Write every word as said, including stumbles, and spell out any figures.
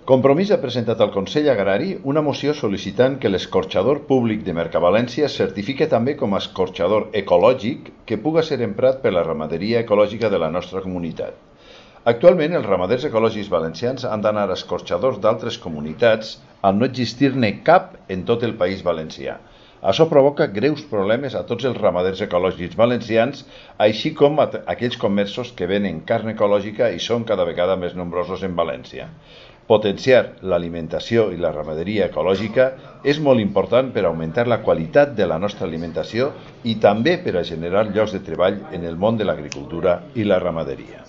Compromís ha presentat al Consell Agrari una moció sol·licitant que l'escorxador públic de Mercavalència es certifique també com a escorxador ecològic que puga ser emprat per la ramaderia ecològica de la nostra comunitat. Actualment, els ramaders ecològics valencians han d'anar a escorxadors d'altres comunitats al no existir-ne cap en tot el País Valencià. Això provoca greus problemes a tots els ramaders ecològics valencians, així com a aquells comerços que venen carn ecològica i són cada vegada més nombrosos en València. Potenciar l'alimentació i la ramaderia ecològica és molt important per augmentar la qualitat de la nostra alimentació i també per a generar llocs de treball en el món de l'agricultura i la ramaderia.